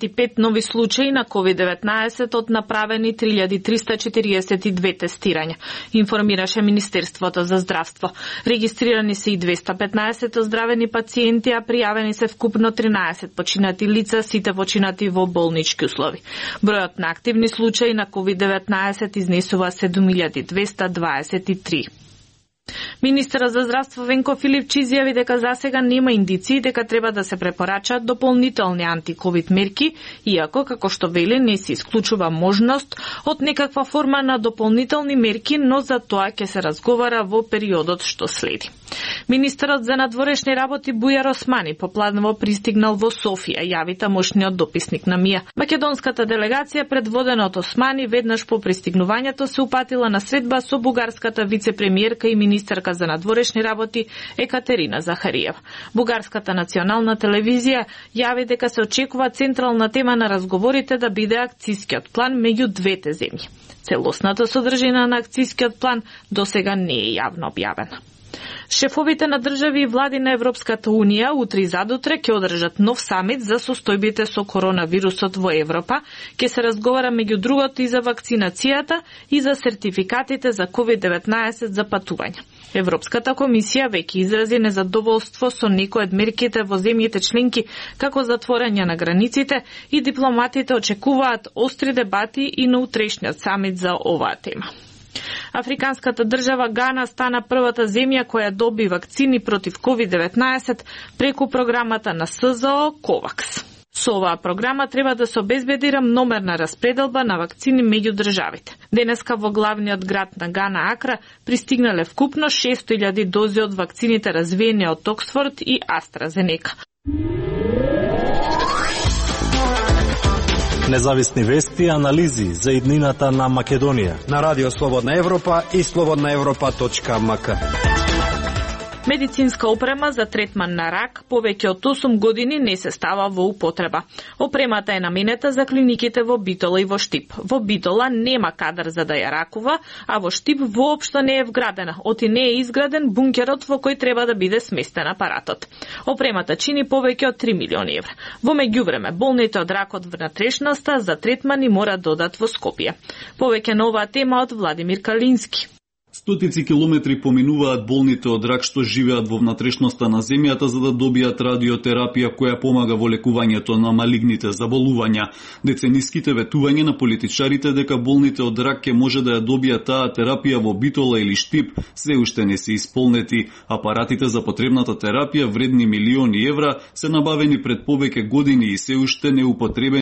5 нови случаи на COVID-19 од направени 3342 тестирања, информираше Министерството за здравство. Регистрирани се и 215 оздравени пациенти, а пријавени се вкупно 13 починати лица, сите починати во болнички услови. Бројот на активни случаи на COVID-19 изнесува 7223. Министерот за здравство Венко Филипчи изјави дека засега нема индиции дека треба да се препорачаат дополнителни анти-ковид мерки, иако, како што вели, не се исклучува можност од некаква форма на дополнителни мерки, но за тоа ќе се разговара во периодот што следи. Министерот за надворешни работи Бујар Османи попланово пристигнал во Софија, јави тамошниот дописник на МИА. Македонската делегација, предводена од Османи, веднаш по пристигнувањето се упатила на средба со бугарската вице-премиерка и министерка за надворешни работи Екатерина Захариева. Бугарската национална телевизија јави дека се очекува централна тема на разговорите да биде акцискиот план меѓу двете земји. Целосната содржина на акцискиот план досега не е јавно објавена. Шефовите на држави и влади на Европската Унија утре и задутре ќе одржат нов самит за состојбите со коронавирусот во Европа. Ќе се разговара меѓу другото и за вакцинацијата и за сертификатите за COVID-19 за патување. Европската комисија веќе изрази незадоволство со некои од мерките во земјите членки, како затворање на границите, и дипломатите очекуваат остри дебати и на утрешниот самит за оваа тема. Африканската држава Гана стана првата земја која доби вакцини против COVID-19 преку програмата на СЗО COVAX. Со оваа програма треба да се обезбеди рамномерна распределба на вакцини меѓу државите. Денеска во главниот град на Гана, Акра, пристигнале вкупно 600.000 дози од вакцините развиени од Оксфорд и AstraZeneca. Независни вести и анализи за иднината на Македонија на Радио Слободна Европа и slobodnaevropa.mk. Медицинска опрема за третман на рак повеќе од 8 години не се става во употреба. Опремата е наменета за клиниките во Битола и во Штип. Во Битола нема кадар за да ја ракува, а во Штип воопшто не е вградена, оти не е изграден бункерот во кој треба да биде сместен апаратот. Опремата чини повеќе од 3 милиони евра. Во меѓувреме, болните од рак од внатрешноста за третмани мора додат во Скопје. Повеќе на оваа тема од Владимир Калински. Стотици километри поминуваат болните од рак што живеат во внатрешноста на земјата за да добијат радиотерапија која помага во лекувањето на малигните заболувања. Децениските ветувања на политичарите дека болните од рак ќе може да ја добијат таа терапија во Битола или Штип се уште не се исполнети. Апаратите за потребната терапија вредни милиони евра се набавени пред повеќе години и се уште не употребени